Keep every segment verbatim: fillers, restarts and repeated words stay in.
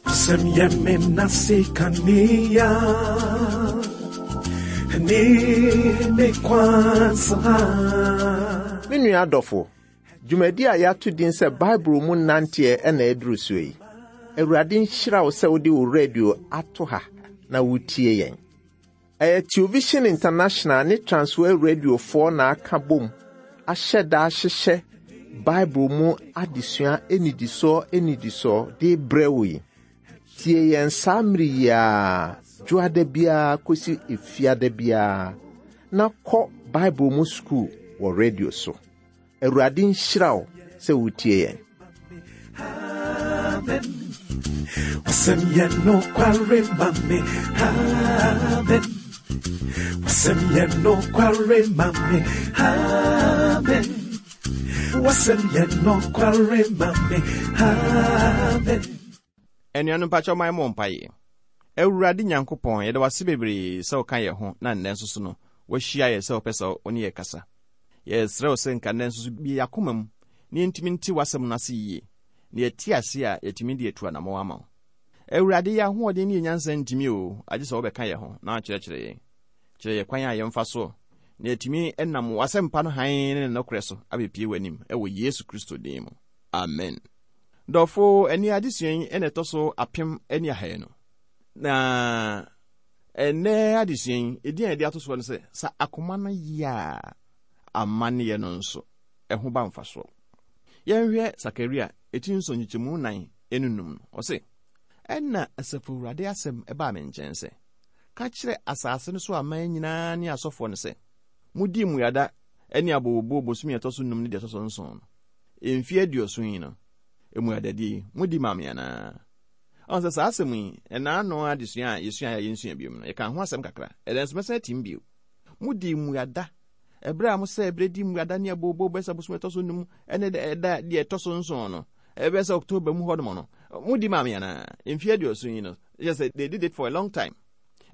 W'asɛm yɛ me nase kanea ne me kwansa. Me nua adɔfo, dwumadi a yɛato din sɛ Bible mu nanteɛ ɛna aduru soɔ yi. Awurade nhyira wo sɛ wode wo radio ato ha na wotie yɛn. Ɛyɛ Television International ne Transworld Radiofoɔ na aka bom ahyɛ da ahyehyɛ Bible mu adesua anidisoɔ anidisoɔ de brɛ wo yi. Tie yɛn saa mmere yi ara, dwoada biara kɔsi efiada biara, na kɔ Bible mu sukuu wɔ radio so. Awurade nhyira wo sɛ wotie yɛn. Amen. W'asɛm yɛ nokware ma me. Amen. W'asɛm yɛ nokware ma me. Amen. W'asɛm yɛ nokware ma me. Amen. Anuanom mpakyɛw ma yɛmmɔ mpaeɛ. Awurade Nyankopɔn, yɛda wo ase bebree sɛ woka yɛn ho na nnɛ nso so no, woahyia yɛ sɛ wopɛ sɛ wo ne yɛ kasa. Yɛsrɛ wo sɛ nka nnɛ nso so bue yɛn akoma mu na yɛntumi nte w'asɛm no ase yie, na yɛte ase a yɛtumi de atu anammɔn ama wo. Awurade, yɛn ahoɔden ne yɛn nyansa ntumi o, agye sɛ wobɛka yɛn ho na wakyerɛkyerɛ yɛn. Kyerɛ yɛn kwan a yɛmfa so na yɛtumi nam w'asɛmpa no hann ne ne nokorɛ so abɛpie w'anim ɛwɔ Yesu Kristo din mu. Amen. Dɔfo, ɛne adesua yi ɛna ɛtɔ so apem ne ahanu. Na ɛnɛ adesua yi, ɛdin a yɛde ato soɔ no sɛ, sɛ akoma no yɛ a, amanneɛ no nso, ɛho ba mfasoɔ. Yɛnhwɛ Sakaria eti nson nkyekyɛmu nan ne num no. Ɔse, ɛna Asafo Awurade asɛm ɛbaa me nkyɛn sɛ, ka kyerɛ asase no so aman nyinaa ne asɔfoɔ no sɛ, modii mmuada ne abooboo bosome a ɛtɔ so num ne deɛ ɛtɔ so nson no. Mfeɛ aduɔson yi no, mmuadadie yi, modi maa me anaa? Ɔn sɛ saa asɛm yi, ɛna ano adesua a yɛsua a yɛnsua bio no, yɛka ho asɛm kakra. Ɛdɛ nso mɛsan atim bio. Modi mmuada ɛberɛ a mosɛ ɛberɛ di mmuada ne abooboo bɛsɛ bosome ɛtɔ so num ɛne ɛda deɛ ɛtɔ so nson no, ɛbɛyɛ sɛ October mu hɔnom no, modi maa me anaa? Mfeɛ aduɔson yi no, kyerɛ sɛ they did it for a long time.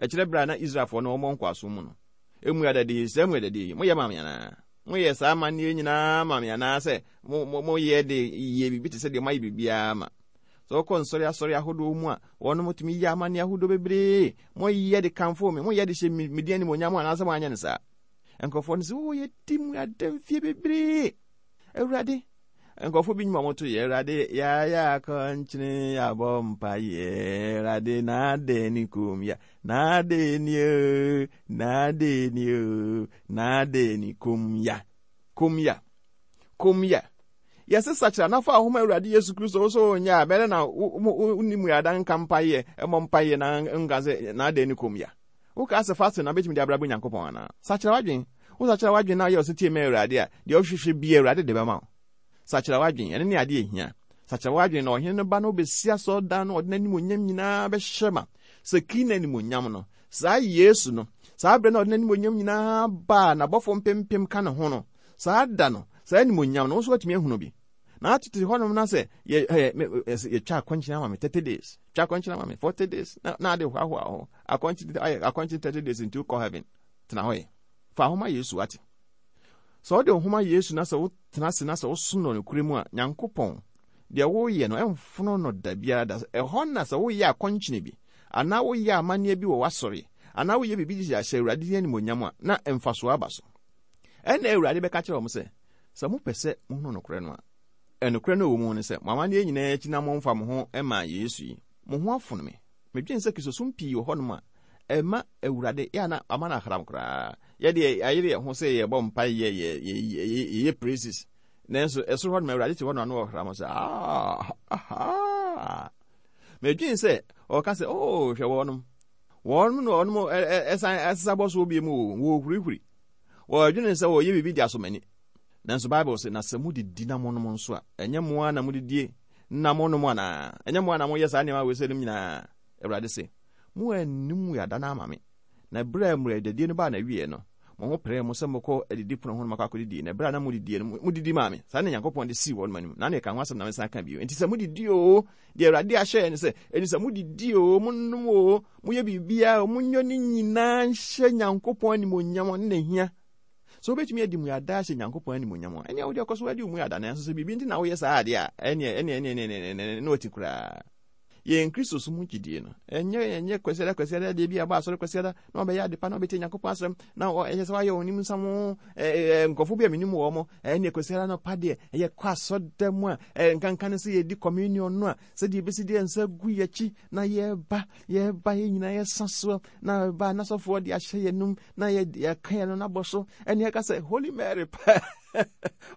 Ɛkyerɛ berɛ a na Israelfoɔ no wɔmmɔ nkoasom mu no. Mmuadadie, saa mmuadadie yi, moyɛ maa me anaa? Moyɛ saa amanneɛ nyinaa ma me anaa sɛ moyɛ de yɛ biribi te sɛ deɛ moayɛ biribiara ma? Sɛ wokɔ nsɔre asɔre ahodoɔ mu a, wɔnom tumi yɛ amanneɛ ahodoɔ bebree. Moyɛ de kamfo me, moyɛ de hyɛ me din animuonyam anaasɛ moanyɛ no saa? Nkurɔfoɔ no sɛ, oh, yɛdi mmuada mfie bebree. Awurade, nkurɔfoɔ bi nnwuma moto yɛ, Awurade, yɛayɛ akɔnkyene, yɛabɔ mpaeɛ, Awurade, na adɛn ne kom ya, na adɛn ni o, na adɛn ni o, na adɛn ni kom ya, kom ya, kom ya. Yɛse sakyera na fa ahoma Awurade Yesu Kristo wo so nyɛ a, bɛrɛ na wonni mmuada nka mpaeɛ, ɛmmɔ mpaeɛ na nka sɛ na adɛn ne kom ya. Woka sɛ fasting na bɛtumi de abrabɔ Nyankopɔn anaa? Sakyera w'adwen. Wo sakyera w'adwen na woyɛ ɔsetie ma Awurade a, deɛ wohwehwɛ bia Awurade de bɛma wo. Sakyera w'adwen, ɛno ne adeɛ ehia. Sakyera w'adwen na ɔhene no ba no wobɛsi asɔredan no, ɔde n'animonyam nyinaa bɛhyɛ ma. Sɛ kii n'animonyam no, saa Yesu no, saa berɛ na ɔde n'animonyam nyinaa baa n'abɔfo mpempem ka ne ho no, saa da no, saa animonyam no, wo nso watumi ahunu bi. Na atete hɔnom na sɛ yɛtwa akɔnkyene ama me thirty days, twa akɔnkyene ama me forty days, na na ade hoahoa ho. Akɔnkyene ayɛ akɔnkyene thirty days nti wokɔ heaven. Tena hɔ yɛ. Fa ahoma Yesu ate. Sɛ wode nhoma Yesu na sɛ wotena ase na sɛ wosom no nokorɛ mu a, Nyankopɔn, deɛ woyɛ no ɛmfono no da biara da. Ɛhɔ na sɛ woyɛ akɔnkyene bi, anaa woyɛ amanneɛ bi wɔ w'asɔre, anaa woyɛ biribi de ahyɛ Awurade din animuonyam a, na mfasoɔ aba so. Ɛnna Awurade bɛka kyerɛ wɔn sɛ, sɛ mopɛ sɛ mohunu nokorɛ no a, ɛnokorɛ no wɔ mu ne sɛ, mo amanneɛ nyinaa akyi na momfa mo ho mmaa Yesu yi, mo ho afono me. Medwene sɛ Kristosom pii wɔ hɔnom a, ɛma Awurade yɛ ana ama no ahram koraa. Yɛde ayere yɛn ho sɛ yɛbɔ mpaeɛ, yɛyɛ praises. Nanso ɛsoro hɔnom Awurade te hɔ no ano ɔhram sɛ, ah, aha. Medwene sɛ ɔka sɛ, oh, hwɛ wɔnom. Wɔnom na wɔnom ɛsan ɛsesa bɔ soɔ bi mu o, wɔhurihuri. Wɔdwene sɛ wɔyɛ biribi de asɔ m'ani. Nanso Bible sɛ, na sɛ modidi na monom nso a, ɛnyɛ mo ara na modidie na monom anaa? Ɛnyɛ mo ara na moyɛ saa nneɛma wei sɛ nom nyinaa? Awurade se, mo anni mmuada no ama me. Na berɛ a mmuadadie no baa n'awieɛ no, mo ho peree mo sɛ mokɔ adidi pono ho no makɔ akɔdidie. Na berɛ a na modidie no, modidi maa me. Saa na Nyankopɔn de sii wɔn anim. Na ne ɛka ho asɛm na mesan ka bio. Enti sɛ modidi o, deɛ Awurade ahyɛ ne sɛ, enti sɛ modidi o, monom o, moyɛ biribiara o, monyɛ ne nyinaa nhyɛ Nyankopɔn animuonyam ne n'ahia. Sɛ wobɛtumi adi mmuada ahyɛ Nyankopɔn animuonyam a, ɛnea wode ɔkɔ so adi mmuada, nanso sɛ biribi nti na woyɛ saa adeɛ a, ɛneɛ ɛneɛ ɛneɛ ɛneɛ ɛneɛ na wati koraa. Yɛn Kristo som ho gyidie no, ɛnyɛ ɛnyɛ Kwasiada Kwasiada deɛ bi a ɛbɔ asɔre Kwasiada na ɔbɛyɛ adepa na ɔbɛtie Nyankopɔn asɛm na ɛyɛ sɛ wayɛ ɔnim nsam ɛɛ nkurɔfoɔ bi a menim wɔn mo, ɛneɛ Kwasiada no pa deɛ ɛyɛ kɔ asɔda mu a ɛɛ nkanka ne sɛ yɛdi communion no a, sɛdeɛ ɛbɛsi deɛ nsa gu yɛkyi na yɛba yɛba yɛn nyinaa yɛsa soɔ na ba n'asɔfoɔ de ahyɛ yɛn num na yɛ yɛka yɛn no n'abɔ so, ɛne ɛka sɛ Holy Mary paa,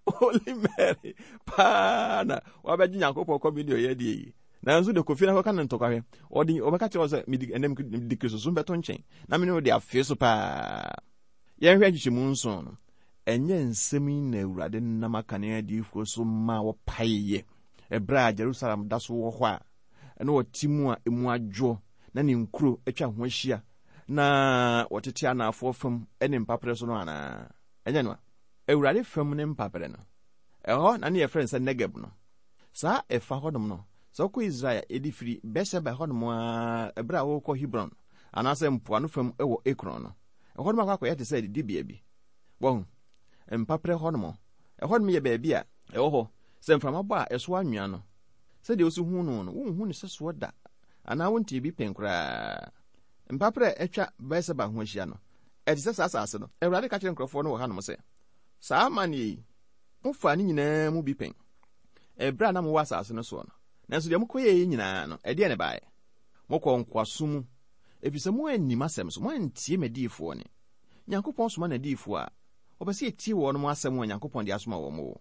Holy Mary paa na wabɛgye Nyankopɔn communion yɛ deɛ yi. Nanso de kofi na kɔka ne ntɔkwahwɛ, ɔde ɔbɛka kyerɛ wo sɛ mede ɛnam mede Kristo som bɛto nkyɛn na me ne wo de afee so paa. Yɛnhwɛ nkyekyɛmu nson no, ɛnyɛ nsɛm yi na Awurade nam akane adiyifoɔ so ma wɔpaeɛ ɛberɛ a Jerusalem da so wɔ hɔ a ɛna wɔte mu a emu adwoɔ na ne nkuro atwa ho ahyia na wɔtete anaafoɔ fam ne mpaperɛ so no anaa? Ɛnyɛ no a Awurade fam ne mpaperɛ no, ɛhɔ na ne yɛfrɛ no sɛ Negeb no. Saa ɛfa hɔnom no, sɛ wokɔ Israel ɛde firi Beersheba hɔnom a ɛberɛ a wokɔ Hebron anaasɛ mpoano fam wɔ Ekron no, ɛhɔnom akɔ akɔyɛ te sɛ adidibea bi. Wɔhu mpaperɛ hɔnom, ɛhɔnom yɛ baabi a ɛwɔ hɔ sɛ mframa bɔ a ɛso anwea no, sɛdeɛ wosi hu no no, wonhu ne sɛ soɔ da anaa wontie bi pɛn koraa. Mpaperɛ a atwa Beersheba ho ahyia no, ɛte sɛ saa asase no. Awurade ka kyerɛ nkurɔfoɔ no wɔ hanom sɛ, saa amanneɛ yi, mofaa ne nyinaa mu bi pɛn ɛberɛ a na mowɔ asase no soɔ no. Nanso deɛ mokɔyɛɛ yi nyinaa no, ɛdeɛ ne baeɛ? Mokɔɔ nkoasom mu, ɛfiri sɛ moannim asɛm so, moantie m'adiyifoɔ ne. Nyankopɔn soma n'adiyifoɔ a, ɔpɛ sɛ yɛtie wɔn mo asɛm a Nyankopɔn de asoma wɔn o.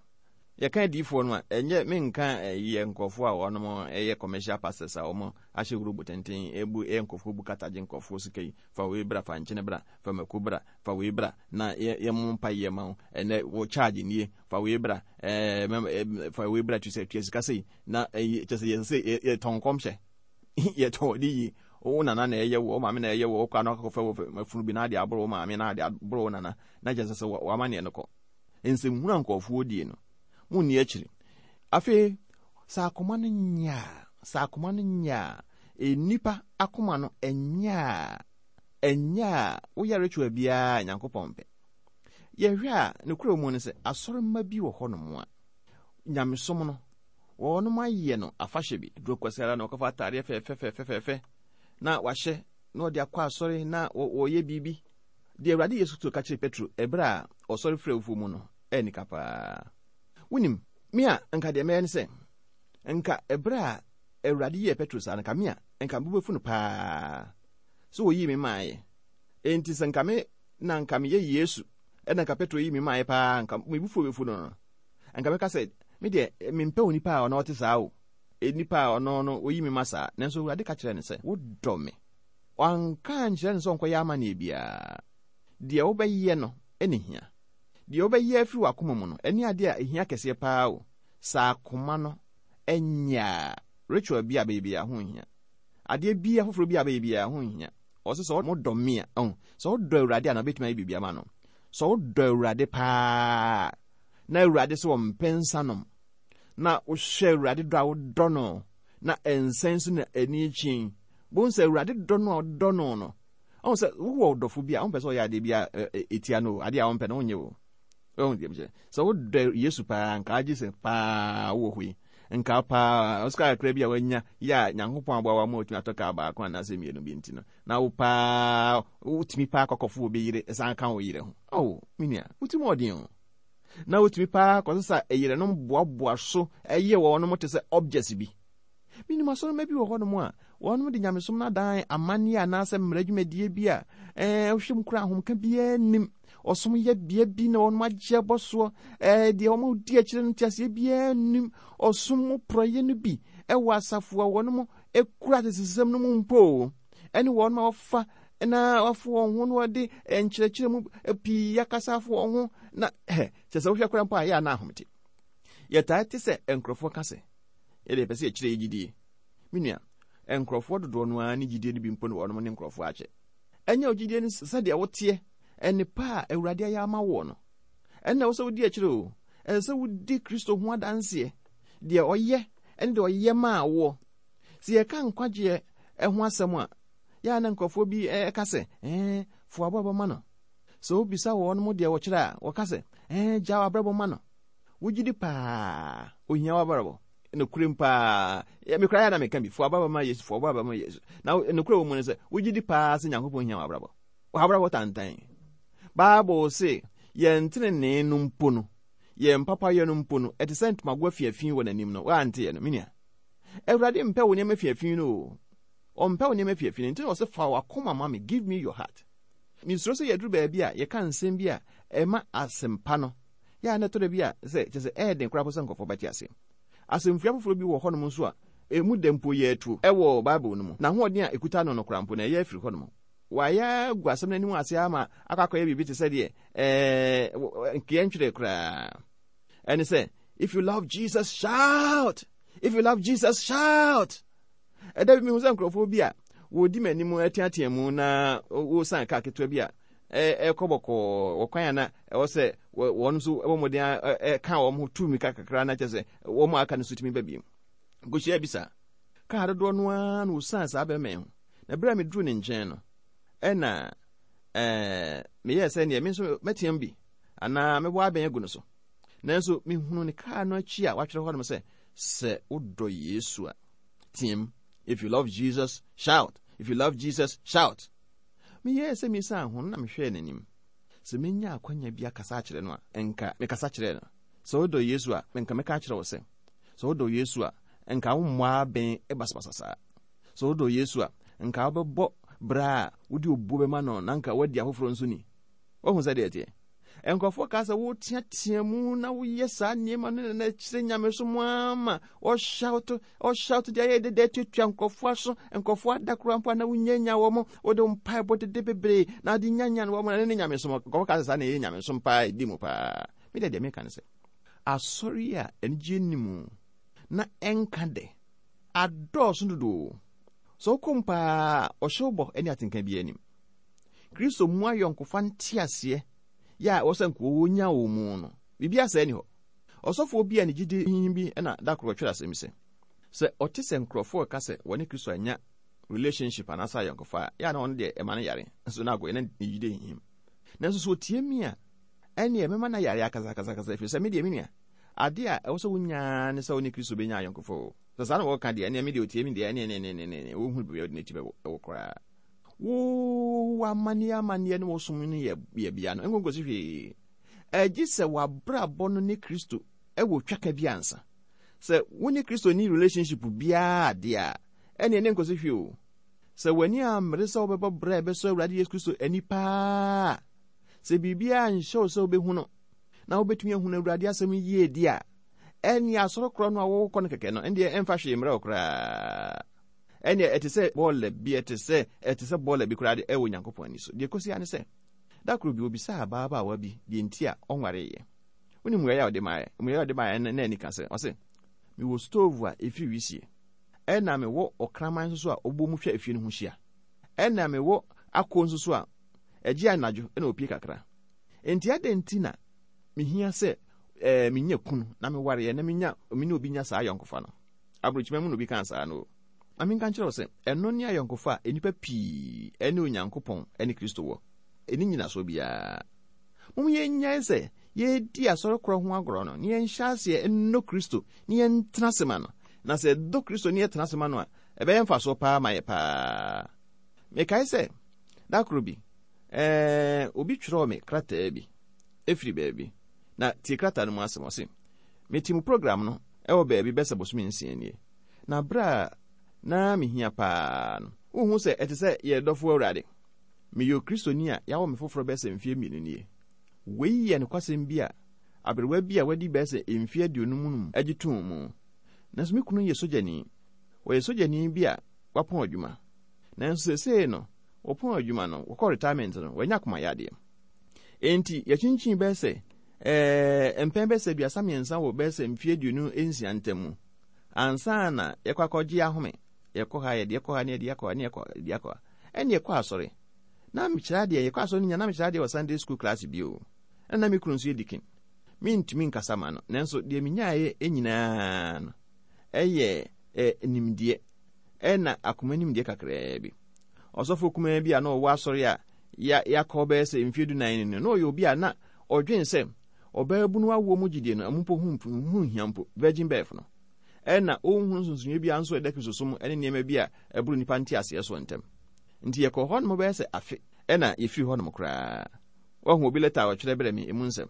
Yɛka adiyifoɔ no a, ɛnyɛ menka yɛ nkurɔfoɔ a wɔnom ɛyɛ commercial pastors a wɔn ahyɛ robe tenten ebu ɛyɛ nkurɔfoɔ bu katagye nkurɔfoɔ sika yi, fa wei bra, fa nkyene bra, fa mako bra, fa wei bra, na yɛ yɛ mo mpa yɛ ma wo, ɛnɛ wo charge nie, fa wei bra, ɛɛ fa wei bra, tu sɛ tua sika sei, na ɛyi kyɛ sɛ yɛ sɛ yɛtɔn nkɔmhyɛ, yɛtɔn ɔde yie, wo nana na ɛyɛ wo, wo maame na ɛyɛ wo, wokɔ ano akɔfɛ wo afunu bi na ade aboro wo maame na ade aboro wo nana, na kyɛ sɛ sɛ wama neɛ no kɔ. Nsɛmhunu a nkurɔfoɔ die no, munni akyiri. Afei, sɛ akoma no nyɛ a, sɛ akoma no nyɛ a, nnipa akoma no ɛnyɛ a, ɛnyɛ a, woyɛ ritual biara Nyankopɔn pɛ. Yɛhwɛ a, ne kura mu no sɛ, asɔremma bi wɔ hɔnom a, nyamesom no, wɔnom ayɛ no afahyɛ bi. Duro Kwasiada na wɔkɔfa ataadeɛ fɛfɛfɛfɛfɛ na wahyɛ na ɔde akɔ asɔre na wɔyɛ biribi. Deɛ Awurade Yesu Kristo ka kyerɛ Petro ɛberɛ a ɔsɔre frɛ awufoɔ mu no, ɛyɛ nika paa. Wonim, me a nka deɛ mɛyɛ ne sɛ, nka ɛberɛ a Awurade yɛɛ Petro saa no, nka me a nka mebɛfu no paa sɛ wɔyii me maaeɛ. Enti sɛ nka me na nka meyɛ Yesu ɛna nka Petro yii me maaeɛ paa, nka mebufuo bɛfu no no, nka mɛka sɛ me deɛ mempɛ onipa a ɔno ɔte saa o, nipa a ɔno no oyi me ma saa. Nanso Awurade ka kyerɛ no sɛ, wodɔ me. Wanka nkyerɛ no sɛ ɔnkɔyɛ amanneɛ biara. Deɛ wobɛyɛ no ɛne hia. Deɛ wobɛyɛ afiri w'akoma mu no, ɛne adeɛ a ɛhia kɛseɛ paa o. Saa akoma no ɛnyɛ a, ritual bi a bɛyɛ biara ho nhia. Adeɛ bi foforɔ bi a bɛyɛ biara ho nhia. Ɔsɛ sɛ wodɔ me a, ɔho, sɛ wodɔ Awurade a na wobɛtumi ayɛ biribi ama no. Sɛ wodɔ Awurade paa, na Awurade sɛ wɔmpɛ nsa nom, na wohwɛ Awurade dɔ a wodɔ no, na ɛnsɛn so na ani akyi, bohu sɛ Awurade dɔ no a wodɔ no no, ɔhu sɛ wowɔ ɔdɔfo bi a wompɛ sɛ ɔyɛ adeɛ bi a ɛtia no o, adeɛ a wompɛ no wonyɛ o. Ɔhu deɛ mekyerɛ. Sɛ wodɔ Yesu paa, nka agye sɛ paa wowɔ hɔ yi, nka paa ɔsika kakra bi a wanya yɛ a Nyankopɔn aboa wa ma otumi atɔ kaa baako anaasɛ mmienu bi nti no, na wo paa wotumi paa kɔkɔfo obi yere ɛsan ka wo yere ho. Oh, me nua, wotumi ɔden o. Na wotumi paa kɔsesa ɛyerenom boaboa so ɛyɛ wɔnom te sɛ objects bi. Menim asɔremma bi wɔ hɔnom a wɔnom de nyamesom no adan amanneɛ anaasɛ mmara dwumadie bi a ɛɛ wohwɛ mu koraa ahomka biara nnim. Ɔsom yɛ bea bi na wɔnom agye abɔ soɔ, ɛɛ deɛ wɔn di akyire no nteaseɛ biara nnim. Ɔsom mu porɔeɛ no bi ɛwɔ asafo a wɔnom ekura atesesɛm no mu mpo, ɛne wɔnom a wɔfa na wɔafo wɔn ho na wɔde nkyerɛkyerɛ mu pii akasa afo wɔn ho na hɛ kyerɛ sɛ wohwɛ koraa mpo a ɛyɛ ana ahomete. Yɛtaa te sɛ nkurɔfoɔ ka sɛ yɛde yɛpɛ sɛ yɛkyerɛ yɛ gyidie. Me nua, nkurɔfoɔ dodoɔ no ara ne gyidie no bi mpo ne wɔnom ne nkurɔfoɔ akyɛ. Ɛnyɛ wo gyidie no sɛdeɛ woteɛ ɛne pa a Awurade ayɛ ama woɔ no, ɛnna ɛwɔ sɛ wodi akyire o. Ɛsɛ sɛ wodi Kristo ho adanseɛ, deɛ ɔyɛ ɛne deɛ ɔyɛ maa woɔ. Sɛ yɛka nkwagyeɛ ho asɛm a, yɛa na nkurɔfoɔ bi ɛka sɛ, ɛɛ fo aboa bɛma no. Sɛ wobisa wɔn mo deɛ wɔkyerɛ a, wɔka sɛ, ɛɛ gya w'abrabɔ ma no. Wogye di paa, ohia w'abrabɔ. Nokorɛm paa, mekora yɛ na meka bi, fo abrabɔ ma Yesu, fo abrabɔ ma Yesu. Na nokorɛ wɔ mu no sɛ, wogye di paa sɛ Nyankopɔn hia w'abrabɔ. W'abrabɔ tantan. Bible se, yɛn tenenee no mpo no, yɛn papayɛ no mpo no, ɛte sɛ ntomago afiafi wɔ n'anim no, woante yɛ no, me nua. Awurade mpɛ wo nneɛma afiafi no o. Ɔmpɛ wo nneɛma afiafi no, nti na ɔsɛ fa w'akoma ma me, give me your heart. Mesuro sɛ yɛduru baabi a yɛka nsɛm bi a ɛma asɛmpa no, yɛ a na ɛtɔ da bi a sɛ kyerɛ sɛ ɛyɛ den koraa po sɛ nkurɔfoɔ bɛte ase. Asɛmfua foforɔ bi wɔ hɔnom nso a emu da mpo yɛ atuo ɛwɔ Bible no mu. Na ahoɔden a ekuta no no koraa mpo na ɛyɛ afiri hɔnom. Wayɛ agu asɛm no anim ase ama akɔ akɔyɛ biribi te sɛ deɛ ɛɛ nkeɛ ntwerɛ koraa. Ɛne sɛ, if you love Jesus, shout! If you love Jesus, shout! Ɛda bi mehu sɛ nkurɔfoɔ bi a wɔdi m'anim ateatea mu na wɔsan kaa ketewa bi a ɛkɔ bɔkɔɔ wɔ kwan a na ɛwɔ sɛ wɔn nso ɛbɔ mmɔden ɛka wɔn ho tu mmirika kakra na kyerɛ sɛ wɔn a aka no nso tumi ba bio. Nkohyia bi saa. Kaa dodoɔ no ara na wɔsan saa bɛrima yi ho. Na berɛ a meduru ne nkyɛn no, ɛna ɛɛ meyɛɛ sɛ neɛ me nso mɛteam bi anaa mɛbɔ abɛn agu no so. Nanso mehunu ne kaa no akyi a watwerɛ hɔ nom sɛ, sɛ wodɔ Yesu a, team. If you love Jesus, shout. If you love Jesus, shout. Meyɛɛ sɛ mesan ho no na mehwɛɛ n'anim. Sɛ menya akwanya bi akasa akyerɛ no a, nka mekasa kyerɛɛ no. Sɛ wodɔ Yesu a, nka mɛka akyerɛ wo sɛ, sɛ wodɔ Yesu a, nka wommɔ abɛn basabasa saa. Sɛ wodɔ Yesu a, nka wobɛbɔ bra a wode obuo bɛma no na nka woadi afoforɔ nso ni. Woahu sɛ deɛ ɛteɛ? Nkurɔfoɔ kaa sɛ woteatea mu na woyɛ saa nneɛma no na kyerɛ nyamesom ama ɔhyawto ɔhyawto deɛ ayɛ deda atuatua nkurɔfoɔ aso, nkurɔfoɔ ada koraa mpo a na wonyanya wɔ mo, wode mpaebɔ dede bebree na wode nyanya no wɔ mo na ne ne nyamesom. Nkurɔfoɔ kaa sɛ saa na ɛyɛ nyamesom paa, ɛdi mu paa. Me deɛ deɛ meka ne sɛ, asɔre a anigye nni mu na ɛnka dɛ adɔɔso dodo. Sɛ wokɔ paa, ɔhyɛw bɔ ne atenka bi anim. Kristo mu ayɔnkofa nteaseɛ yɛ a ɛwɔ sɛ nka wɔnya wɔ mu no, biribi asɛe ni hɔ. Ɔsɔfoɔ bi a ne gyidi hinhim bi na da koro ɔtwerɛ asɛm sɛ, sɛ ɔte sɛ nkurɔfoɔ ka sɛ wɔne Kristo anya relationship anaasɛ ayɔnkofa a, yɛ a na ɔno deɛ ɛma no yare, nso na agɔyɛ na ne gyidi hinhim. Nanso sɛ ɔtie mi a, ɛneɛ mɛma no yare akasakasakasa, ɛfiri sɛ me deɛ me nua, ade a ɛwɔ sɛ wonyaa ne sɛ wo ne Kristo bɛnya ayɔnkofa o. Sɛ saa na wɔka deɛ, ɛneɛ me deɛ ɔtie mi deɛ, ɛneɛ ne ne ne ne wɔhunu baabi a ɔde n'akyi bɛwɔ koraa. Wo amanneɛ amanneɛ ne wɔsom no yɛ yɛ bea no, ɛnkɔnkɔsi hwee. Ɛgye sɛ w'abrabɔ no ne Kristo ɛwɔ twaka bi ansa. Sɛ wo ne Kristo ni relationship biara deɛ a, ɛneɛ ne nkɔsi hwee o. Sɛ w'ani ammere sɛ wobɛbɔ brɛ a ɛbɛsɔ Awurade Yesu Kristo ani paa, sɛ biribiara nhyɛ wo sɛ wobɛhu no, na wobɛtumi ahunu Awurade asɛm yie di a, ɛne asɔre korɔ no a wɔwɔkɔ no kɛkɛ no, ɛndeɛ ɛmfa hwee mmerɛ wo koraa. Ɛneɛ ɛte sɛ bɔɔla bi, ɛte sɛ ɛte sɛ bɔɔla bi koraa de ɛwɔ Nyankopɔn ani so. Deɛ kɔsi ara ne sɛ, da koro bi obisaa ababaawa bi deɛ nti a ɔnwareeɛ. Wonim mmuaeɛ a ɔde maeɛ? Mmuaeɛ a ɔde maeɛ no na ani ka sɛ, ɔse, mewɔ stove a ɛfiri wisie, ɛna mewɔ ɔkraman nso so a ɔbɔ mu hwɛ efie no ho hyia, ɛna mewɔ ako nso so a ɛgye anadwo ɛna opie kakra. Enti adɛn nti na mehia sɛ ɛɛ menya kunu na mewareɛ na menya me ne obi nya saa ayɔnkofa no? Aburokyima mu na obi kaa saa no. Na menka nkyerɛ wo sɛ, ɛno ne ayɔnkofa a nnipa pii ɛne Onyankopɔn ɛne Kristo wɔ. Ɛni nyinasoɔ biara. Mom yɛnnyae sɛ yɛdi asɔre korɔ ho agorɔ no, na yɛnhyɛ aseɛ nnɔ Kristo, na yɛntena ase ma no. Na sɛ yɛdɔ Kristo na yɛtena ase ma no a, ɛbɛyɛ mfasoɔ paa ma yɛ paa. Mekae sɛ, da koro bi, ɛɛ, obi twerɛɔ me krataa bi, ɛfiri baabi. Na tie krataa no mu asɛm, ɔse, mete mu program no ɛwɔ baabi bɛsɛ bosome nsia nie. Na berɛ a na mehia paa no, wohu sɛ ɛte sɛ yɛ dɔfo Awurade. Meyɛ Okristoni a yɛawɔ me foforɔ bɛsɛ mfeɛ mmienu nie. Wei yɛ nokwasɛm bi a aberewa bi a wadi bɛsɛ mfeɛ aduonum num agye too mu. Nanso me kunu yɛ sogyani. Ɔyɛ sogyani bi a wapɔn adwuma. Nanso seesei no, wɔpɔn adwuma no, wɔkɔ retirement no, wanya akomayadeɛ. Enti yɛkyinkyin bɛsɛ ɛɛ mpɛn bɛsɛ aduasa mmiɛnsa wɔ bɛsɛ mfeɛ aduonu nsia ntam mu. Ansa na yɛkɔ akɔgye ahome, yɛkɔ ha, yɛde yɛkɔ ha, ne yɛde yɛkɔ ha, ne yɛkɔ yɛde yɛkɔ ha. Ɛne yɛkɔ asɔre. Na mekyerɛ adeɛ, yɛkɔ asɔre no nya, na mekyerɛ adeɛ wɔ Sunday school class bi o. Ɛna me kunu nso yɛ deacon. Mentumi nkasa ma no, nanso deɛ menyaeɛ nyinaa no, ɛyɛ ɛ nimdeɛ, ɛna akoma nimdeɛ kakraa bi. Ɔsɔfo kumaa bi a na ɔwɔ asɔre a yɛakɔ bɛyɛ sɛ mfeɛ dunan no, na ɔyɛ obi a na ɔdwen sɛ ɔbaabunu awoɔ mu gyidie no, ɛmo mpo ho nhia mpo, virgin birth no. Ɛna ɔnhunu nsonsonoeɛ biara nso a ɛda Kristosom ne nneɛma bi a ɛboro nnipa nteaseɛ so ntam. Nti yɛkɔɔ hɔnom bɛyɛ sɛ afe, ɛna yɛfiri hɔnom koraa. Wahu obi lɛta a ɔtwerɛ brɛ me emu nsɛm.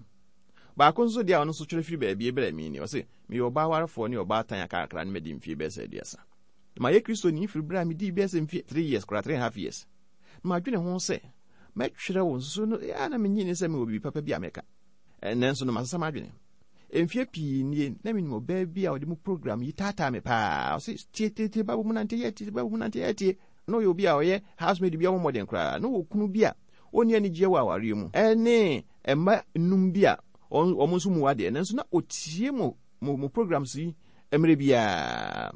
Baako nso deɛ a ɔno nso twerɛ firi baabi brɛ me ni, ɔse, meyɛ ɔbaa warefoɔ ne ɔbaatan a kakra ne madi mfeɛ bɛyɛ sɛ aduasa. Na mayɛ Kristoni firi berɛ a medii bɛyɛ sɛ mfeɛ three years koraa, three and a half years. Na madwene ho sɛ, mɛtwerɛ wo nso no, ɛa na menyi ne sɛ mewɔ biribi papa bi a mɛka. Nanso no masesa m'adwene. Mfeɛ pii nie, na menim ɔbaa bi a ɔde mu program yi taataa me paa. Ɔse, tie, tie, tie, Bible mu nante, yɛ tie, Bible mu nante, yɛ tie. Na ɔyɛ obi a ɔyɛ housemaid bi a ɔmmɔ mmɔden koraa. Na ɔwɔ kunu bi a ɔnni anigyeɛ wɔ awareɛ mu. Ɛne mma nnum bi a wɔn nso mu adeɛ. Nanso na ɔtie mo, mo, mo programs yi mmerɛ biara.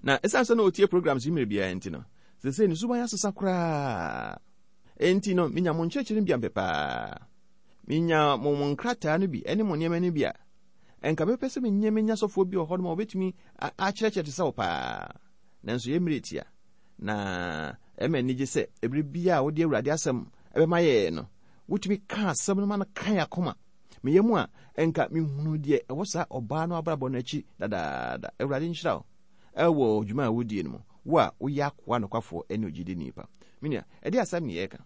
Na ɛsiane sɛ na ɔtie programs yi mmerɛ biara nti no, seesei ne suban asesa koraa. Enti no, menya mo nkyerɛkyerɛ no bi ampɛ paa. Menya mo mo nkrataa no bi ne mo nneɛma no bi a, ɛnka mɛpɛ sɛ menyɛ menya sɔfoɔ bi wɔ hɔ nom a wɔbɛtumi akyerɛkyerɛ te sɛ wo paa. Nanso yɛ mmerɛ tia. Na ɛma anigye sɛ ɛberɛ biara a wode Awurade asɛm ɛbɛma yɛn no, wotumi ka asɛm no ma no ka yɛn akoma. Meyɛ mu a, ɛnka mehunu deɛ ɛwɔ saa ɔbaa no abrabɔ no akyi dadaada. Awurade nhyira wo ɛwɔ dwuma a wodie no mu, wo a woyɛ akoa nokwafoɔ ne ogyidini pa. Me nua, ɛde asɛm ne yɛreka.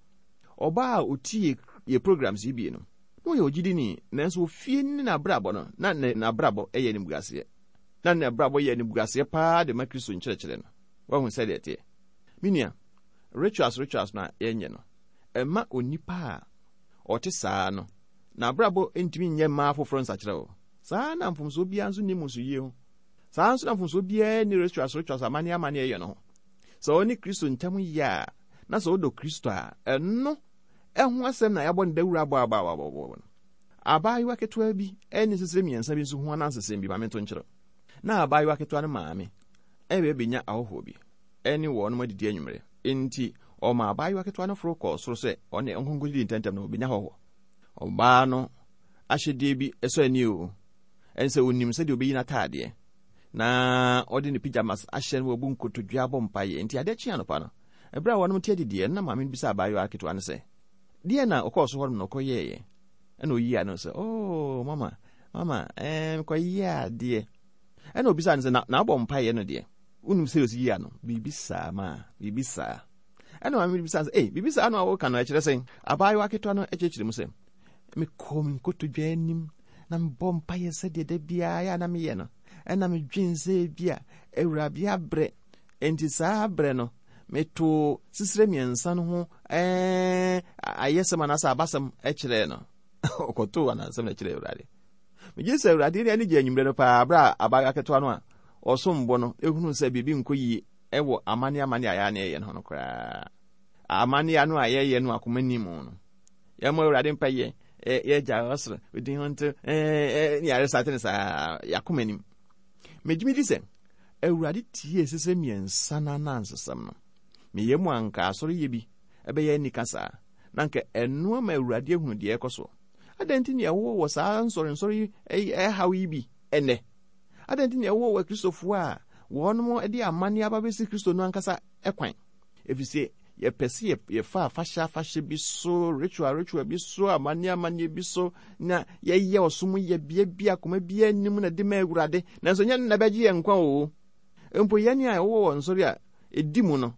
Ɔbaa a otie yɛ programs yi bi no, na ɔyɛ ogyidini, nanso ofie ne n'abrabɔ no, na n'abrabɔ yɛ animguaseɛ. Na n'abrabɔ yɛ animguaseɛ paa de ma Kristo nkyerɛkyerɛ no. Wahu sɛdeɛ ɛteɛ. Me nua, rituals rituals no a yɛnyɛ no, ɛma onipa a ɔte saa no, n'abrabɔ ntumi nyɛ mmaa foforɔ nsakyerɛ o. Saa na mfomsoɔ biara nso nni mmusuyie ho. Saa nso na mfomsoɔ biara nni rituals rituals amanneɛ amanneɛ yɛ no ho. Sɛ ɔne Kristo ntam yɛ a, na sɛ wodɔ Kristo a, ɛno ɛho asɛm na yɛabɔ ne dawuro abɔ abɔ abɔ abɔ no. Abaayewa ketewa bi ne sisire mmiɛnsa bi nso ho anansesɛm bi ma mento nkyerɛ. Na abaayewa ketewa no maame ɛbɛ bɛnya ahɔhoɔ bi ɛne wɔn adidi anwummerɛ. Enti ɔma abaayewa ketewa no foro kɔɔ soro sɛ ɔne nkonko didi ntɛmntɛm na ɔbɛnya hɔhoɔ. Ɔbaa no ahyɛdeɛ bi ɛsɔ ani o. Ɛne sɛ onim sɛdeɛ ɔbɛyi n'ataadeɛ na ɔde ne pyjamas ahyɛ no wɔbu nkotodwe abɔ mpaeɛ. Enti adeɛ kye anɔpa no, ɛberɛ a wɔnom te adidiɛ no, na maame no bisa abaayewa ketewa no sɛ, deɛ na ɔkɔɔ so hɔ nom na ɔkɔyɛeɛ? Ɛna ɔyii ano sɛ, oh, mama, mama, ɛɛ, mekɔyɛɛ adeɛ. Ɛna ɔbisaa no sɛ, na, na abɔ mpaeɛ no deɛ? Wonim sɛ ɔsi yii ano? Biribi saa, ma, biribi saa. Ɛna maame no bisaa no sɛ, ei, biribi saa no a woka no ɛkyerɛ sɛn? Abaayewa ketewa no kyerɛkyerɛ mu sɛ, mekɔɔ me nkotodwe anim na mebɔ mpaeɛ sɛdeɛ da biara yɛ a na meyɛ no. Ɛna medwen sɛ bi a Awurade abrɛ. Enti saa abrɛ no, metoo sisire mmiɛnsa no ho ɛɛ ayɛsɛm anaasɛ abasɛm kyerɛɛ no. Ɔkɔtoo anansɛm na kyerɛɛ Awurade. Megye sɛ Awurade ne ani gye anwummerɛ no paa berɛ a abaayewa ketewa no a ɔsom bo no ehunu sɛ biribi nkɔ yie ɛwɔ amanneɛ amanneɛ a yɛa na yɛyɛ no ho no koraa. Amanneɛ no a yɛyɛ no akoma nim no. Yɛmmɔ Awurade mpaeɛ, yɛgya ɔsoro, odin ho nto, ɛɛ ne yɛare sate no saa yɛakoma nim. Megye me di sɛ Awurade tie sisire mmiɛnsa no anansesɛm no. Meyɛ mu anka asɔre yɛ bi ɛbɛyɛ anika saa. Na anka ɛno ama Awurade ahunu deɛ ɛkɔ so. Adɛn nti na ɛwɔ wɔ saa nsɔrensɔre yi ɛhaw yi bi ɛnɛ? Adɛn nti na ɛwɔ wɔ Kristofoɔ a wɔnom de amanneɛ aba bɛsi Kristo no ankasa ɛkwan? Ɛfiri sɛ yɛpɛ sɛ yɛfa afahyɛ afahyɛ bi so, ritual ritual bi so, amanneɛ amanneɛ bi so, na yɛyɛ ɔsom yɛ bea bi akoma biara anim na de ma Awurade. Nanso nyɛ no na ɛbɛgye yɛn nkwa o. Mpo yɛn a ɛwɔ wɔ nsɔre a ɛdi mu no,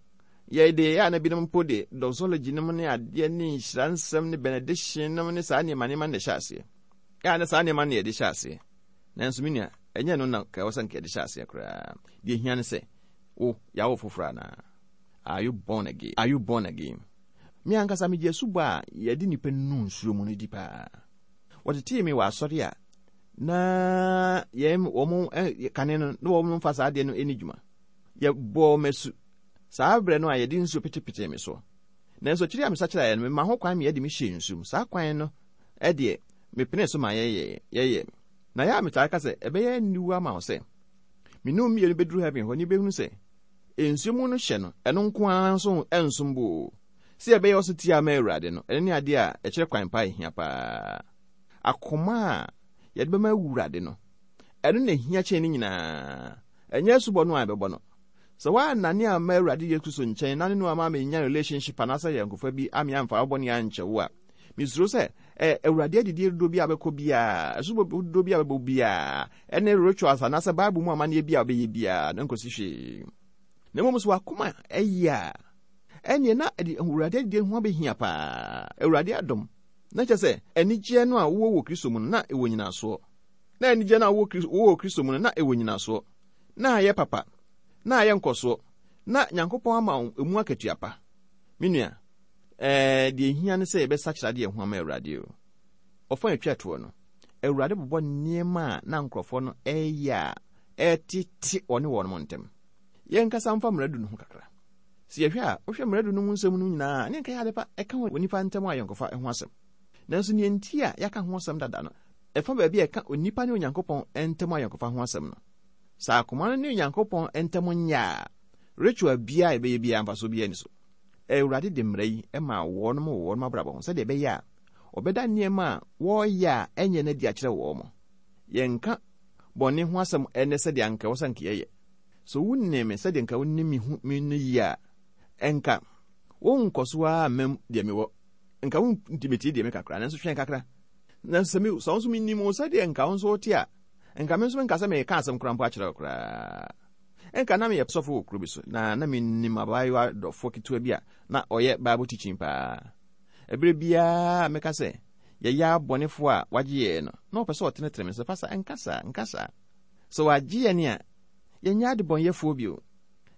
yɛde yɛ a na binom mpo de doxology nom ne adeɛ ne nhyira nsɛm ne benediction nom ne saa nneɛma nneɛma na ɛhyɛ aseɛ. Yɛ a na saa nneɛma na yɛde hyɛ aseɛ. Nanso me nua, ɛnyɛ no na ka ɛwɔ sɛ nka yɛde hyɛ aseɛ koraa. Deɛ hia ne sɛ, wo, yɛawo foforɔ anaa? Are you born again? Are you born again? Me ankasa megye asubɔ a yɛde nipa nu nsuo mu no di paa. Wɔtetee me wɔ asɔre a na yɛn wɔn kane no na wɔn mfa saa adeɛ no ani dwuma. Yɛbɔɔ m'asu saa berɛ no a yɛde nsuo petepetee me so. Nanso akyiri a mesakyeraeɛ no, mema ho kwan ma yɛde me hyɛɛ nsuo mu. Saa kwan no ɛdeɛ mepene so ma yɛyɛ yɛyɛ. Na yɛ a metaa ka sɛ ɛbɛyɛ aniwu ama wo sɛ me ne wo mmienu bɛduru heaven hɔ ne bɛhunu sɛ nsuo mu no hyɛ no ɛno nko ara nso ɛnsom bo o. Sɛ yɛbɛyɛ ɔso tia ama Awurade no, ɛno ne adeɛ a ɛkyerɛ kwan pa ɛhia paa. Akoma a yɛde bɛma Awurade no, ɛno na ɛhia kyɛn ne nyinaa. Ɛnyɛ asubɔ no a yɛbɛbɔ no. Sɛ woannane amma Awurade Yesu Kristo nkyɛn na ne no ama amenya relationship anaasɛ ayɔnkofa bi ame amfa wo bɔne ankyɛ wo a, mesuro sɛ ɛ Awurade adidie dodoɔ bi a wobɛkɔ biara, asubɔ dodoɔ bi a wobɛbɔ biara, ɛne rituals anaasɛ Bible mu amanneɛ bi a wobɛyɛ biara no nkɔsi hwee. Na mmom sɛ w'akoma ɛyɛ a, ɛneɛ na Awurade adidie ho abɛhia paa. Awurade adom. Na kyerɛ sɛ anigyeɛ no a wowɔ wɔ Kristo mu no na ɛwɔ nyinasoɔ. Na anigyeɛ no a wowɔ wɔ Kristo mu no na ɛwɔ nyinasoɔ. Na ayɛ papa. Na ayɛ nkɔsoɔ. Na Nyankopɔn ama wo emu akatua pa. Me nua, ɛɛ deɛ ehia ne sɛ yɛbɛsakyera deɛ ho ama Awurade o. Ɔfa atwa toɔ no, Awurade bobɔ nneɛma a na nkurɔfoɔ no ɛyɛ a ɛtete ɔne wɔn ntam. Yɛnkasa mfa mmara du no ho kakra. Sɛ yɛhwɛ a, wohwɛ mmara du no ho nsɛm no nyinaa, ne nka yɛ ade pa ɛka wɔ nipa ntam ayɔnkofa ho asɛm. Nanso nea nti a yɛaka ho asɛm dada no, ɛfa baabi a ɛka onipa ne Onyankopɔn ntam ayɔnkofa ho asɛm no. Sɛ akoma no ne Onyankopɔn ntam nyɛ a, ritual biara a yɛbɛyɛ biara mfasoɔ biara ni so. Awurade de mmara yi ma wɔn wɔ wɔn abrabɔ ho sɛdeɛ ɛbɛyɛ a ɔbɛda nneɛma a wɔreyɛ a ɛnyɛ no adi akyerɛ wɔn. Yɛnka bɔne ho asɛm ɛnɛ sɛdeɛ anka ɛwɔ sɛ anka yɛyɛ. So wonnim me sɛdeɛ nka wonim me hu me no yie a, ɛnka wonkɔ so ara mmam deɛ mewɔ. Nka wontimetie deɛ me kakra, nanso hwɛn kakra. Nanso sɛ me sɛ wo nso menim wo sɛdeɛ nka wo nso wote a, nka me nso menka sɛ meka asɛm koraa mpo akyerɛ wo koraa. Ɛnka na meyɛ sɔfo wɔ kuro bi so, na na menim abaayewa dɔfoɔ ketewa bi a na ɔyɛ Bible teaching paa. Ɛberɛ biara meka sɛ yɛyɛ abɔnefoɔ a wagye yɛn no, na ɔpɛ sɛ ɔtenetene me sɛ, Pastor, nka saa, nka saa. Sɛ wagye yɛn a, yɛnyɛ adebɔnyɛfoɔ bio.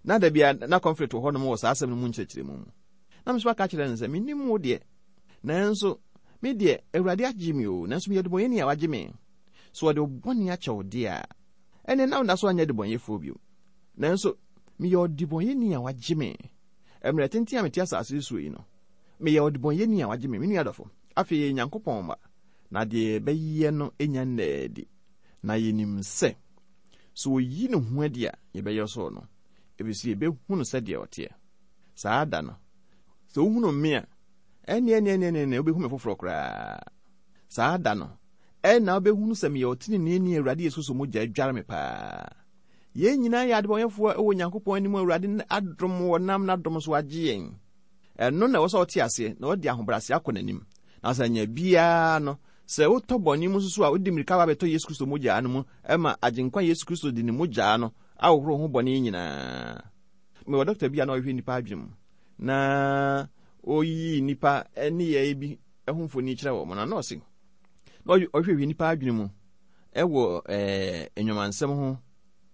Na da bia na conflict wɔ hɔnom wɔ saa asɛm no mu nkyerɛkyerɛmu mu. Na me nso aka kyerɛ no sɛ, mennim wo deɛ, nanso me deɛ Awurade agye me o, nanso meyɛ debɔnyɛni a wagye me. So ɔde wo bɔne akyɛ wo deɛ a, ɛnɛ na wonda so anyɛ debɔnyɛfoɔ bio. Nanso meyɛ ɔdebɔnyɛni a wagye me. Mmerɛ tenten a mete asase so yi no, meyɛ ɔdebɔnyɛni a wagye me. Me nua dɔfo, afei yɛ Nyankopɔn mma, na deɛ yɛbɛyɛ no nya nnaa adi. Na yɛnim sɛ, sɛ oyi ne ho adi a, yɛbɛyɛ sɔɔ no, ɛfiri sɛ yɛbɛhu no sɛdeɛ ɔteɛ. Saa da no, sɛ wohunu me a, ɛne ɛne ɛne ɛne wobɛhu me foforɔ koraa. Saa da no, ɛna wobɛhunu sɛ meyɛ ɔteneneeni Awurade Yesu Kristo mogya adware me paa. Yɛn nyinaa yɛ adebɔnyɛfoɔ wɔ Onyankopɔn anim. Awurade adom wɔ nam n'adom so agye yɛn. Ɛno na ɛwɔ sɛ ɔte aseɛ na ɔde ahobrɛase akɔ n'anim. Na sɛ anya biara no, sɛ wotɔ bɔne mu nso so a, wode mmirika ba bɛtɔ Yesu Kristo mogyaa no mu ɛma Agyenkwa Yesu Kristo de ne mogyaa no ahohoro ho bɔne nyinaa. Mewɔ dɔkta bi a na ɔhwehwɛ nnipa adwene mu, na ɔyii nnipa nneyɛe bi ho mfoni kyerɛ wɔn, na ɔse na ɔhwehwɛ nnipa adwene mu ɛwɔ ɛɛ nnwamansɛm ho,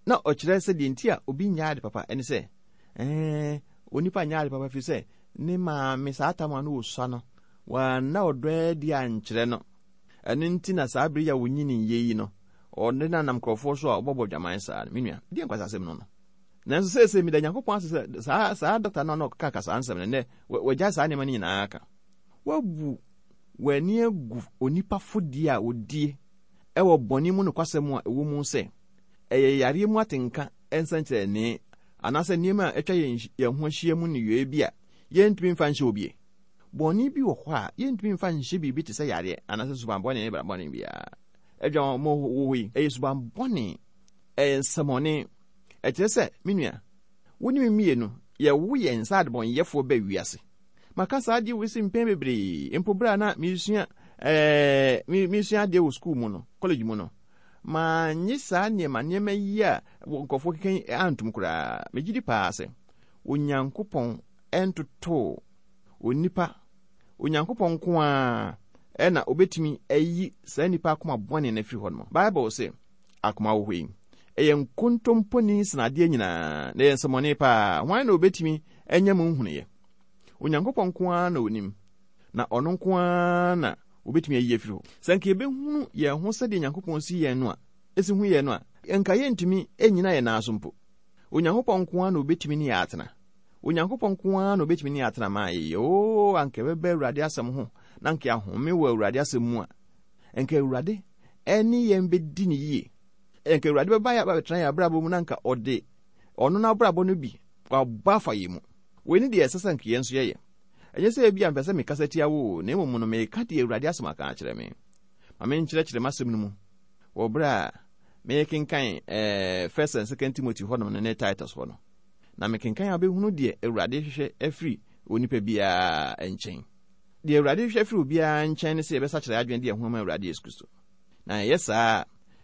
na ɔkyerɛ sɛ deɛ nti a obi nyɛ ade papa ɛne sɛ ɛɛ onipa nyɛ ade papa firi sɛ ne maame saa tam a no wɔsua no wɔanna ɔdɔ adi ankyerɛ no. Ɛno nti na saa bere yi a wonyini yie yi no, ɔne nanam nkurɔfoɔ so a ɔbɔbɔ dwaman saa no. Me nua, deɛ nkwasa asɛm no no. Nanso seesei meda Nyankopɔn ase sɛ saa saa dɔkta no a na ɔkeka saa nsɛm no, nnɛ wagyae saa nneɛma no nyinaa ka. Wabu w'ani agu onipa fodie a odie ɛwɔ bɔne mu nokwasɛm a ɛwɔ mu sɛ ɛyɛ yareɛ mu atenka nsɛnkyerɛnne anaasɛ nneɛma a atwa yɛn ho ahyia mu nneyɔe bi a yɛntumi mfa nhyɛ obie. Bɔne bi wɔ hɔ a yɛntumi mfa nhyɛ biribi te sɛ yareɛ anaasɛ suban bɔne ne bra bɔne biara. Adwamammɔ wɔ hɔ yi, ɛyɛ suban bɔne, ɛyɛ nsɛmɔne. Ɛkyerɛ sɛ, me nua, wo ne me mmienu, yɛwo yɛn nsa adebɔnyɛfoɔ bɛ wiase. Maka saa adeɛ wei si mpɛn bebree, mpo berɛ a na mesua ɛɛ mesua adeɛ wɔ sukuu mu no, college mu no, manye saa nneɛma nneɛma yi a nkurɔfoɔ keka yi antom koraa. Megye di paa sɛ Onyankopɔn ɛntotoo onipa, Onyankopɔn nko ara ɛna obetumi ayi saa nipa akoma bɔne no afiri hɔ nom. Bible sɛ akoma wɔ hɔ yi, ɛyɛ nkontomponi sene adeɛ nyinaa, na ɛyɛ nsɛmmɔne paa. Hwan na obetumi anya mu nhunuiɛ? Onyankopɔn nko ara na onim, na ɔno nko ara na obetumi ayi afiri hɔ. Sɛ nka yɛbɛhunu yɛn ho sɛdeɛ Nyankopɔn si yɛn no a, esi hu yɛn no a, nka yɛntumi nnyina yɛn nan so mpo. Onyankopɔn nko ara na obetumi ne yɛn atena. Onyankopɔn nko ara na obetumi ne yɛn atena ma ayɛ yie. Oo, anka yɛbɛba Awurade asɛm ho, na anka yɛahome wɔ Awurade asɛm mu a, anka Awurade ɛne yɛn bɛdi ne yie. Anka Awurade bɛba yɛ abɛtena yɛn abrabɔ mu, na anka ɔde ɔno n'abrabɔ no bi wabɔ afa yɛn mu. Wei ne deɛ ɛsɛ sɛ anka yɛn nso yɛyɛ. Ɛnyɛ sɛ ebi a mpɛ sɛ mekasa tia wo, na mmom no meka deɛ Awurade asɛm aka akyerɛ me. Ma menkyerɛkyerɛ m'asɛm no mu wɔ berɛ a mekenkan ɛɛ First and Second Timothy hɔnom no ne Titus hɔ no. Na mekenkan a wobɛhunu deɛ Awurade hwehwɛ afiri onipa biara nkyɛn. Deɛ Awurade hwehwɛ afiri obiara nkyɛn ne sɛ yɛbɛsakyerɛ adwene de yɛn ho ama Awurade Yesu Kristo. Na ɛyɛ saa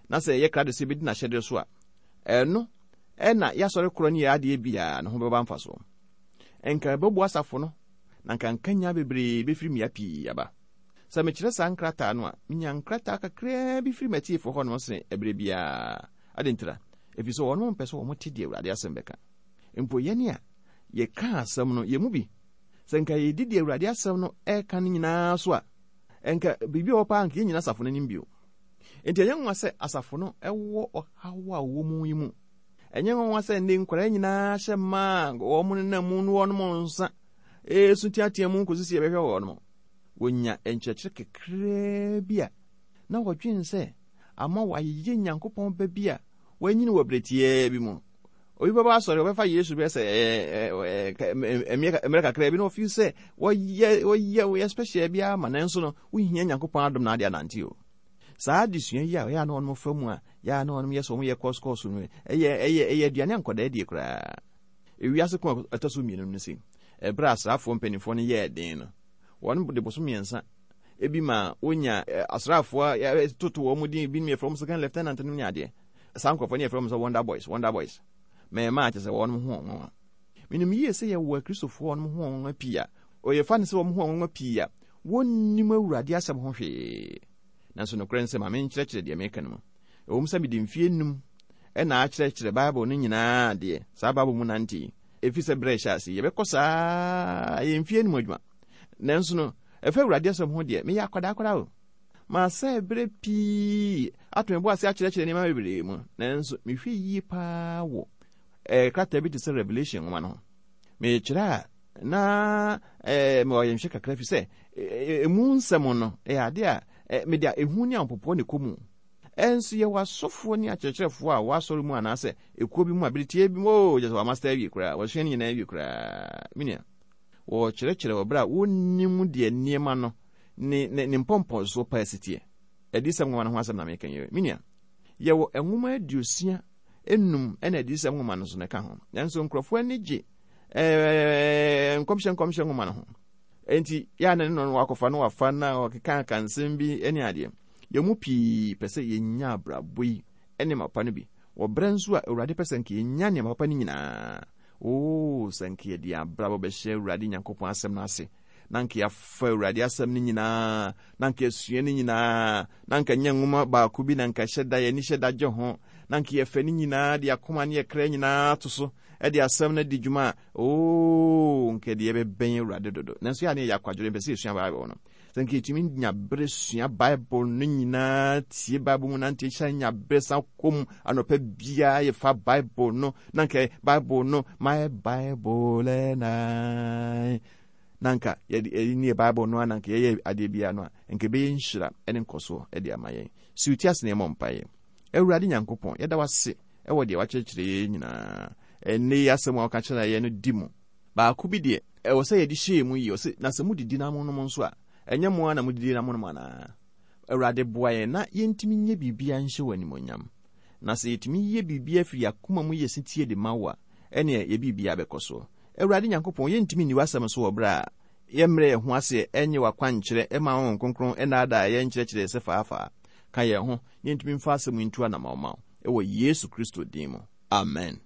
na sɛ yɛyɛ krado sɛ yɛbɛdi n'ahyɛdeɛ so a, ɛno ɛna yɛasɔre korɔ ne yɛ adeɛ biara ne ho bɛba mfasoɔ. Nka ɛbɛboa asafo no, na nka nkanya bebree bɛfiri mmea pii aba. Sɛ mekyerɛ saa nkrataa no a, menya nkrataa kakraa bi firi m'atiefoɔ hɔ nom sene ɛberɛ biara. Ade ntira, ɛfiri sɛ wɔnom mpɛ sɛ wɔn te deɛ Awurade asɛm bɛka. Mpo yɛne a yɛka asɛm no, yɛn mu bi, sɛ nka yɛdi deɛ Awurade asɛm no ɛka no nyinaa so a, nka biribi a ɛwɔ paa nka yɛnnyina asafo no anim bio. Enti ɛnyɛ nwanwa sɛ asafo no ɛwɔ ɔhaw a wɔwɔ mu yi mu. Ɛnyɛ nwanwa sɛ nnɛ nkwadaa nyinaa hyɛ mmaa a wɔn nenam mu no wɔnom nsa esu teatea mu kɔsi sɛ yɛbɛhwɛ wɔn. Wɔnya nkyerɛkyerɛ kakraa bi a na wɔdwen sɛ ama wɔayeyɛ Nyankopɔn ba bi a wɔanyini wɔ berɛ tiaa bi mu. Obi bɛba asɔre, ɔbɛfa Yesu bɛyɛ sɛ mmerɛ kakraa bi na ɔfeel sɛ wɔyɛ wɔyɛ wɔyɛ special bi ama, nanso no wohia Nyankopɔn adom na ade anante o. Saa adesua yi a ɛyɛ a na wɔn fa mu a yɛ a na wɔn yɛ sɛ wɔn yɛ course course no, ɛyɛ ɛyɛ ɛyɛ aduane a nkɔdaa die koraa. Ewiase ko a ɛtɔ so mmienu no si ɛberɛ a asraafoɔ mpanimfoɔ no yɛɛ den no, wɔn de bosom mmiɛnsa ebi ma wonya asraafoɔ a toto wɔn din, bi yɛfrɛ wɔn second lieutenant no ne adeɛ. Saa nkurɔfoɔ no yɛfrɛ wɔn sɛ wonder boys, wonder boys. Mɛɛma akyɛ sɛ wɔn ho wɔn. Menim yie sɛ yɛwɔ Akristofoɔ wɔn ho wɔn pii a ɔyɛfa ne sɛ wɔn ho wɔn pii a wɔnnim Awurade asɛm ho hwee. Nanso nokorɛ nsɛm a menkyerɛkyerɛ deɛ meka no mu. Ɛwom sɛ mede mfie num ɛna akyerɛkyerɛ Bible no nyinaa deɛ, saa Bible mu nante yi, ɛfiri sɛ berɛ ɛhyɛ ase yɛbɛkɔ saa ɛyɛ mfie num adwuma. Nanso no, ɛfa Awurade asɛm ho deɛ, meyɛ akwadaa koraa o. Maasɛ berɛ pii ato me bo ase akyerɛkyerɛ nneɛma bebree mu. Nanso mehwɛ yie paa wɔ ɛɛ krataa bi te sɛ Revelation nwoma no ho. Mekyerɛ a na ɛɛ mewɔ ayɛnhwɛ kakra fi sɛ emu nsɛm no ɛyɛ ade a mede a ehu ne ahopopoɔ ne kɔ mu. Ɛnso yɛwɔ asɔfoɔ ne akyerɛkyerɛfoɔ a wɔasɔre mu anaasɛ ekuo bi mu a bere tie bi mu oo gyesɛ wɔamasta awie koraa, wɔasua ne nyinaa awie koraa. Menua, wɔkyerɛkyerɛ wɔ berɛ a wɔnnim deɛ nneɛma no ne ne ne mpɔmpɔnsoɔ paa si teɛ. Adiyisɛm nwoma no ho asɛm na meka yi. Menua, yɛwɔ nwoma aduosia enum ɛna adiyisɛm nwoma no nso na ɛka ho. Nanso nkurɔfoɔ ani gye ɛɛ nkɔmhyɛ nkɔmhyɛ nwoma no ho. Enti yɛa na ne no wakɔfa no wafa na ɔkeka aka nsɛm bi ne adeɛ. Yɛn mu pii pɛ sɛ yɛnya abrabɔ yi ne mapa no bi. Wɔ berɛ nso a Awurade pɛ sɛ nka yɛnya nneɛma papa no nyinaa. Oo, sɛ nka yɛde abrabɔ bɛhyɛ Awurade Nyankopɔn asɛm no ase, na nka yɛafa Awurade asɛm no nyinaa, na nka yɛasua no nyinaa, na nka nyɛ nwoma baako bi na nka hyɛ da yɛni hyɛ da gye ho, na nka yɛfa no nyinaa de akoma ne yɛkra nyinaa to so ɛde asɛm no di dwuma a, oo, nka deɛ yɛbɛbɛn Awurade dodo. Nanso yɛ a ne yɛyɛ akwadworɔ, yɛmpɛ sɛ yɛsua Bible no. Sɛ nka yɛtumi nya berɛ sua Bible no nyinaa, tie Bible mu nante, hyɛ nya berɛ san kɔm anɔpa biara yɛfa Bible no, na nka Bible no, my Bible and I, na nka yɛde yɛde ne Bible no a na nka yɛyɛ adeɛ biara no a, nka ɛbɛyɛ nhyira ne nkɔsoɔ de ama yɛn. Si wo ti ase na yɛmmɔ mpaeɛ. Awurade Nyankopɔn, yɛda wo ase ɛwɔ deɛ wakyerɛkyerɛ yɛn nyinaa. Ɛnnɛ yi asɛm a wɔka kyerɛ yɛn no di mu. Baako bi deɛ, ɛwɔ sɛ yɛde hyɛɛ mu yie. Ɔse, na sɛ modidi na monom nso a, ɛnyɛ mo ara na modidi na monom anaa? Awurade boa yɛn na yɛntumi nyɛ biribiara nhyɛ wɔ animuonyam. Na sɛ yɛtumi yɛ biribiara firi yɛn akoma mu yɛ setie de ma wo a, ɛneɛ yɛ biribiara bɛkɔ soɔ. Awurade Nyankopɔn, yɛntumi nni w'asɛm so wɔ berɛ a yɛmmerɛ yɛn ho ase ɛnyɛ w'akwankyerɛ ɛma Honhom Kronkron ɛnnaadaa yɛn nkyerɛkyerɛ sɛ faafaa. Ka yɛn ho na yɛntumi mfa asɛm yi ntu anammɔn ma wo. Ɛwɔ Yesu Kristo din mu. Amen.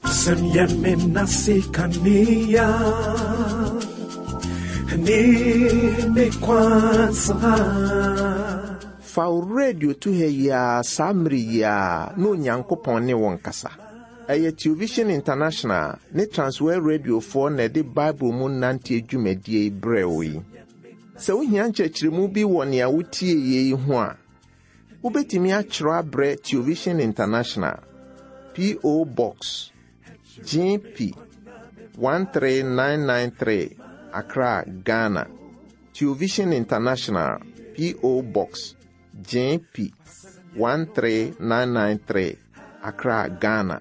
Wasɛm yɛ me nase kanea ne me kwansa. Fa wo radio to ha yi ara saa mmere yi ara na Onyankopɔn ne wo nkasa. Ɛyɛ Television International ne Transworld Radiofoɔ na ɛde Bible mu nante dwumadie yi brɛ wo yi. Sɛ wohia nkyerɛkyerɛmu bi wɔ nea wotie yi ho a, wobɛtumi akyerɛw abrɛ Television International, P O. Box G P one three nine nine three, Accra, Ghana. Television International, P O. Box G P one three nine nine three, Accra, Ghana.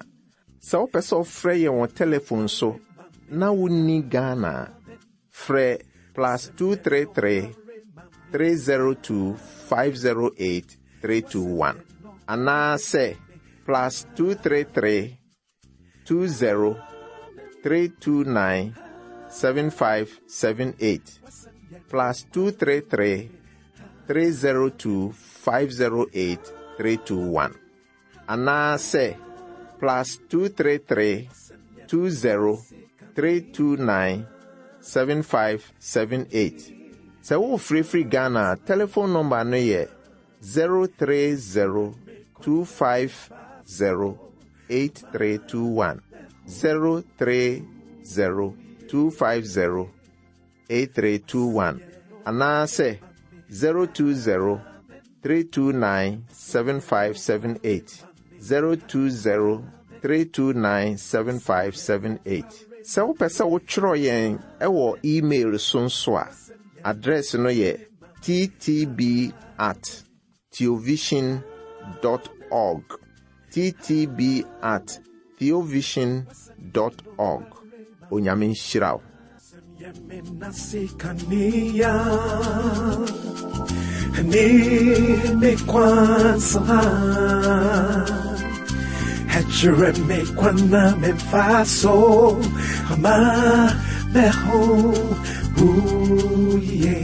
Sɛ wopɛ sɛ wofrɛ yɛn wɔ telephone so na wonni Ghana a, frɛ plus two three three three zero two five zero eight three two one. Anaasɛ plus two three three two zero three two nine seven five seven eight plus two three three three zero two five zero eight three two one anaasɛ plus two three three two zero three two nine seven five seven eight. Sɛ wofirifiri Ghana a, telephone number no yɛ zero three zero two five zero eight three two one zero three zero two five zero eight three two one anaasɛ zero two zero three two nine seven five seven eight zero two zero three two nine seven five seven eight. Sɛ wopɛ sɛ wotwerɛ yɛn ɛwɔ email so nso a, address no yɛ ttb at theovision dot org ttb at theovision dot org. Onyame nhyira wo. Ne kwansa Hechere me kwana me faso ama meho uye.